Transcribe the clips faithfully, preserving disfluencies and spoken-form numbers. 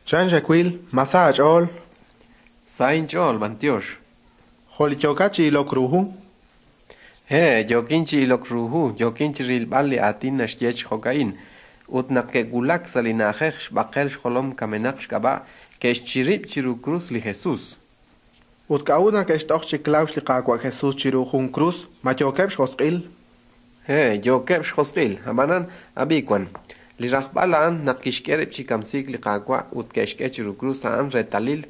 Chan xawil, ma sa aach'ool? Sa inch'ool, b'antiox. Jo' li yookat chi ilok ru hu? He, yookin chi ilok ru hu, yookin chi rilb'al li aatin naxye chi jo'ka'in. Ut naq ke'wulak sa' li na'ajej xb'aqel xjolom kamenaq xk'ab'a', ke'xchirib' chiru krus li Jesus. Ut k'a'ut naq ke'xt'oj chi klawx li Qaawa' Jesus chiru jun krus, ma yookeb' xjosq'il? He, yookeb' xjosq'il, ab'anan ab'i wan. Li rajb'al a'an naq kixk'e rib' chi kamsiik li Qaawa' ut ke'xk'e chiru krus a'an reetalil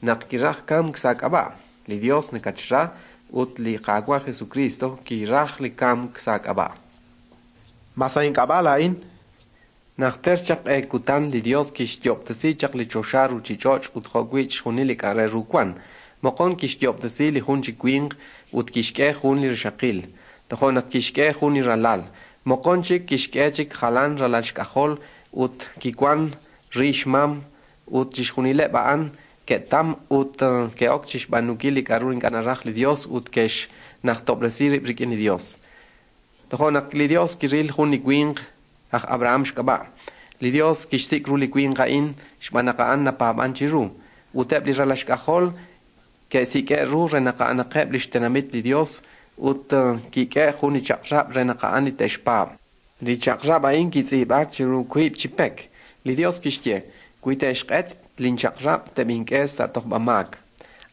naq kiraj kamk sa' k'ab'a'. Li Dios nakatxra ut li Qaawa' Jesucristo kiraj li kamk sa' k'ab'a'. Ma sa' ink'ab'a' laa'in? Najter chaq q'e kutan li Dios kixyoob'tesi chaq li choxa ruuchich'och' ut jo'wi' chixjunil li k'a' re ru wan. Moqon kixyoob'tesi li jun chi winq ut kixk'e jun li rixaqil. Tojo' naq kixk'e jun li ralal. Moqon chik kixk'e chik jalan ralal xk'ajol ut kiwan ri xmam ut chixjunileb' a'an ke'tam ut ke'ok chixb'aanunkil li k'a'ru ink'a' naraj li Dios ut ke'xnajtob'resi rib' rik'in li Dios. Tojo' naq li Dios kiril jun li winq aj Abraham xk'ab'a'. Li Dios kixsik' ru li winq a'in xb'aan naq a'an napaab'an chiru. Ut eb' li ralal xk'ajol ke'sik'e' ru re naq a'anaqeb' li xtenamit li Dios ut kik'e jun li chaq'rab' re naq a'an li te'xpaab'. Li chaq'rab' a'in kitz'iib'aak chiru wiib' chi pek. Li Dios kixye, wi te'xq'et linchaq'rab' teb'ink'e sa' tojb'amaak.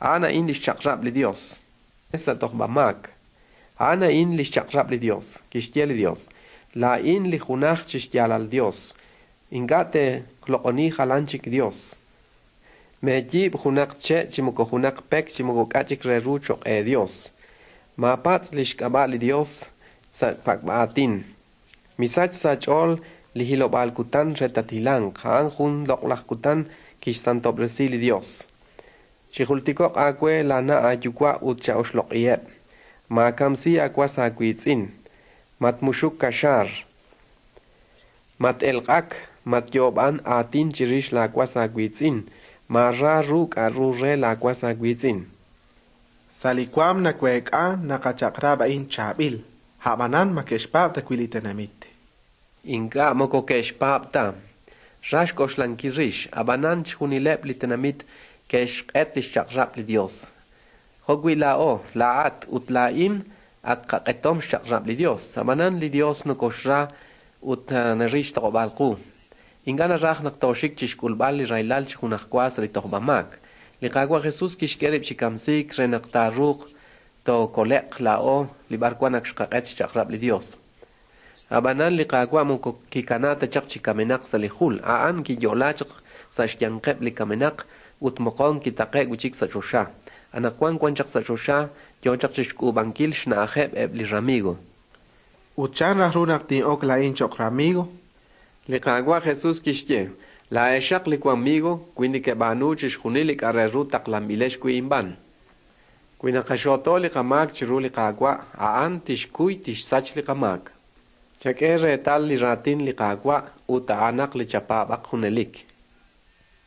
A'an a'in li xchaq'rab' li Dios. Sa' tojb'amaak. A'an a'in li xchaq'rab' li Dios. Kixye li Dios, laa'in li junaj chi xyaalal Dios. Ink'a' te'loq'oni jalan chik Dios. Meeyiib' junaq che' chi moko junaq pek chi moko k'a' chik re ru cho'q e Dios. Maapatz' li xk'ab'a' li Dios sa' pak'b'aatin. Misach sa' ch'ool li hilob'aal kutan re tatilanq, a'an jun loq'laj kutan kixsantob'resi li Dios. Chijultiko'q aawe laana' aayuwa' ut cha'oxloq'iheb'. Maakamsi aawas aawiitz'in. Matmuxuk kaxaar. Mat-elq'ak, matyoob'an aatin chirix laawas aawiitz'in. Maara ru k'a'ru re laawas aawiitz'in. Sa' li waam naweek'a naq a chaq'rab' a'in chaab'il, a'b'anan ma ke'xpaab' ta wi' li tenamit. Ink'a' moko ke'xpaab' ta. Ra xk'oxlankil rix, ab'anan chixjunileb' li tenamit ke'xq'et li xchaq'rab' li Dios. Jo'wi' laa'o, laa'at ut laa'in ak qaq'etom xchaq'rab' li Dios. Ab'anan li Dios nokoxra ut naril xtoq'ob'aal qu. Ink'a' naraj naq tooxik chixk'ulb'al li rahilal chi junajwa sa' li tojb'amaak. Li Qaawa' Jesus kixk'e rib' chi kamsiik re naq taaruuq tookole'q laa'o li b'arwan ak xqaq'et xchaq'rab' li Dios. Ab'anan li Qaawa' moko kikana ta chaq chi kamenaq sa' li jul. A'an kiyo'la chaq sa' xyanqeb' li kamenaq ut moqon kitaqe' wi' chik sa' choxa. Anaqwan wan chaq sa' choxa yoo chaq chixk'uub'ankil xna'ajeb' eb' li ramigo. Ut chan raj ru naq tin'ok laa'in cho'q ramigo? Li Qaawa' Jesus kixye, laa'exaq li wamigo wi nekeb'aanu chixjunil li k'a' re ru taqlanb'ilex wi' inb'an. Wi naqaxooto li qamaak chiru li Qaawa', a'an tixkuy tixsach li qamaak. Chak'e reetal li raatin li Qaawa' ut a'anaq li chapaab'aq junelik.